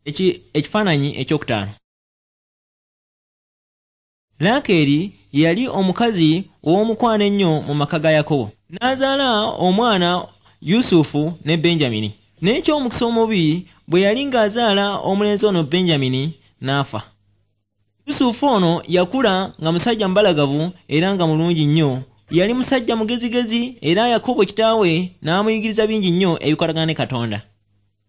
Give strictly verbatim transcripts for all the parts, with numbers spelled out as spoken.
Ekifaananyi ekyokutaano. Laakeeri yali omukazi ow'omukwano ennyo mu maka ga Yakobo. N'azaala omwana Yusufu ne Benjamini. Naye eky'omukisa omubi bwe yali ng'azaala omulenzi ono Benjamini n'afa. Yusufu ono yakula nga musajja mubalagavu era nga mulungi nnyo. Yali musajja mugezigezi era Yakobo kitaawe n'amuyigiriza bingi nnyo ebikwatagana ne Katonda.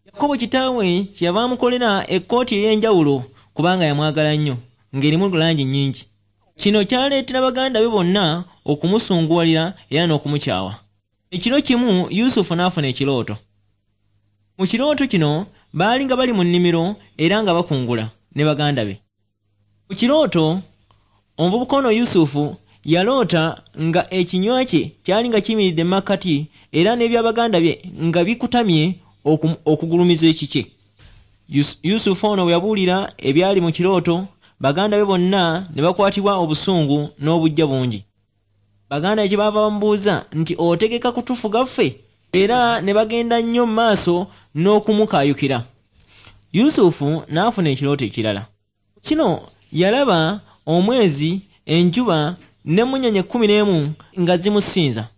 Yakobo kitaawe kyeyava amukolera ekkooti ey'enjawulo kubanga yamwagala nnyo, ng'erimu langi nnyingi. Kino kyaleetera baganda be bonna okumusunguwalira era n'okumukyawa. Ekiro kimu Yusufu n'afuna ekirooto. Mu kirooto kino baali nga bali mu nnimiro era nga bakungula ne baganda be. Mu kirooto omuvubuka ono Yusufu yaloota nga ekinywa kye kyali nga kiyimiridde mu makkati era n'ebya baganda bye nga bikutamye okugulumiza ekikye. Yusufu ono bwe yabuulira ebyali mu kirooto, baganda be bonna ne bakwatibwa obusungu n'obuggya bungi. Baganda be kye baava bamubuuza nti, "Otegeka kutufuga ffe?" Era ne bagenda nnyo mu maaso n'okumukaayukira. Yusufu n'afuna ekirooto ekirala. Kino yalaba omwezi, enjuba n'emmunyeenye kkumi n'emu nga zimusinza.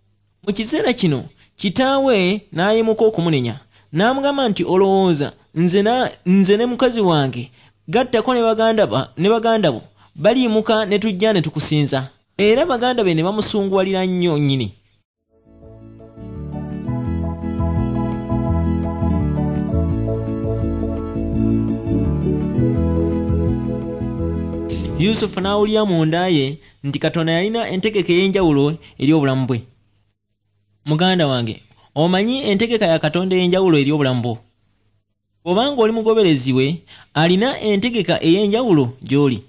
Mu kiseera kino kitaawe n'ayimuka okumunenya, n'amugamba nti, "Olowooza nze na nze ne mukazi wange gattako ne baganda ba ne baganda bo baliyimuka ne tujja ne tukusinza?" Era baganda be ne bamusunguwalira nnyo nnyini. Yusufu n'awulira munda ye nti Katonda yalina entegeka ey'enjawulo eri obulamu bwe. Muganda wange, omanyi entegeka ya Katonda ey'enjawulo eri obulamu bwo? Bw'obanga oli mugoberezi we, alina entegeka ey'enjawulo gy'oli.